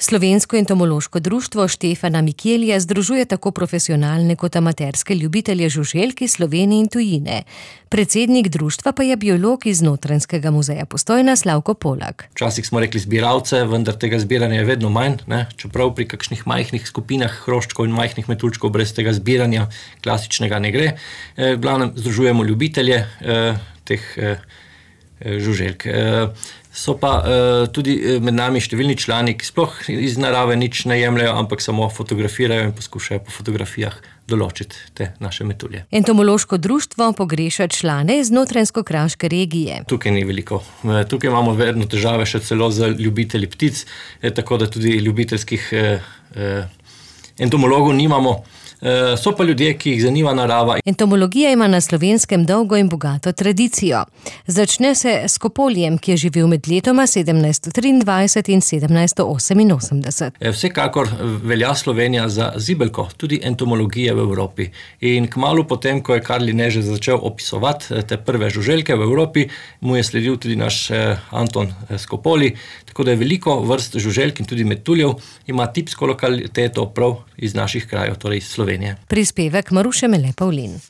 Slovensko entomološko društvo Štefana Mikelja združuje tako profesionalne kot amaterske ljubitelje žuželk iz Slovenije in tujine. Predsednik društva pa je biolog iz Notranjskega muzeja Postojna Slavko Polak. Včasih smo rekli zbiralce, vendar tega zbiranja je vedno manj, ne? Čeprav pri kakšnih majhnih skupinah hroščkov in majhnih metuljčkov brez tega zbiranja klasičnega ne gre. V glavnem združujemo ljubitelje teh žuželk. So pa tudi med nami številni člani, ki sploh iz narave nič ne jemljajo, ampak samo fotografirajo in poskušajo po fotografijah določiti te naše metulje. Entomološko društvo pogreša člane iz Notranjsko-kraške regije. Tukaj ni veliko. Tukaj imamo vedno težave še celo z ljubitelji ptic, tako da tudi ljubiteljskih entomologov nimamo. So pa ljudje, ki jih zanima narava. Entomologija ima na Slovenskem dolgo in bogato tradicijo. Začne se s Kopoljem, ki je živel med letoma 1723 in 1788. Vsekakor velja Slovenija za zibelko tudi entomologije v Evropi. In kmalu potem, ko je Karl Linné že začel opisovati te prve žuželke v Evropi, mu je sledil tudi naš Anton Skopoli, tako da je veliko vrst žuželk in tudi metuljev ima tipsko lokaliteto prav iz naših krajev, torej iz Slovenije. Prispevek Maruše Mele Pavlin.